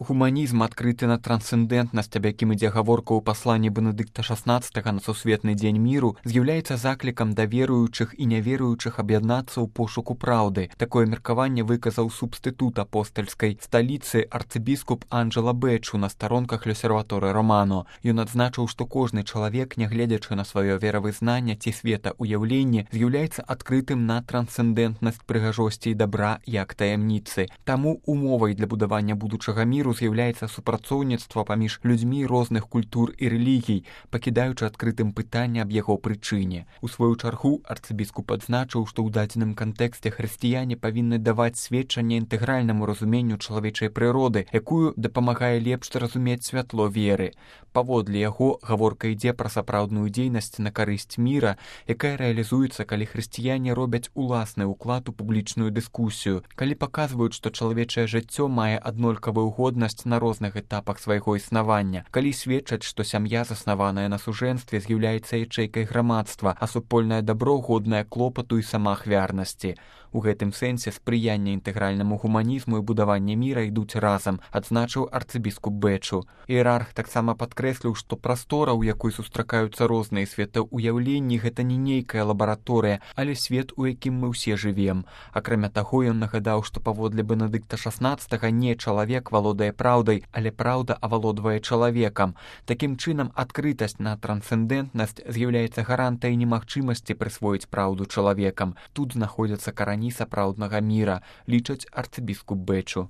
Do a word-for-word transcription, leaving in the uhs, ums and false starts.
Гуманізм, адкрыты на трансцэндэнтнасць, аб якім ідзе гаворка ў пасланні Бенедыкта шаснаццатага на сусветны дзень міру, з'яўляецца заклікам да веруючых і няверуючых аб'яднацца ў пошуку праўды. Такое меркаванне выказаў субстытут апостальскай сталіцы арцыбіскуп Анджела Бэчу на старонках L'Osservatore Romano. Ён адзначыў, што кожны чалавек, нягледзячы на сваё веравызнанне ці светаўяўленне, з'яўляецца адкрытым на трансцэндэнтнасць прыгажосці і дабра як таямніцы. Таму умовай для будавання будучага міру з'яўляецца супрацоўніцтва паміж людзьмі розных культур і рэлігій, пакідаючы адкрытым пытанне аб яго прычыне. У сваю чаргу арцыбіскуп адзначыў, што ў дадзеным кантэксце хрысціяне павінны даваць сведчанне інтэгральнаму разуменню чалавечай прыроды, якую дапамагае лепш зразумець святло веры. Паводле яго гаворка ідзе пра сапраўдную дзейнасць на карысць міра, якая рэалізуецца, калі хрысціяне робяць уласны ўклад у публічную дыскусію, калі паказваюць, што чалавечае жыццё мае аднолькавую годнасць на розных этапах свайго існавання, калі сведчаць, што сям'я, заснаваная на сужэнстве, з'яўляецца ячэйкай грамадства, а супольнае дабро годнае клопату і самаахвярнасці. У гэтым сэнсе спрыянне інтэгральнаму гуманізму і будаванне міра ідуць разам, адзначыў арцыбіскуп Бэчу. Іерарх таксама падкрэсліў, што прастора, у якой сустракаюцца розныя светаўяўленні, гэта не нейкая лабараторыя, але свет, у якім мы ўсе жывем. Акрамя таго, ён нагадаў, што паводле Бенедыкта шаснаццатага не чалавек валодае праўдай, але праўда авалодвае чалавекам. Такім чынам, адкрытасць на трансцэндэнтнасць з'яўляецца гарантыяй немагчымасці прысвоіць праўду чалавекам. Тут знаходзяцца карані сапраўднага міра, лічаць арцыбіскуп Бэчу.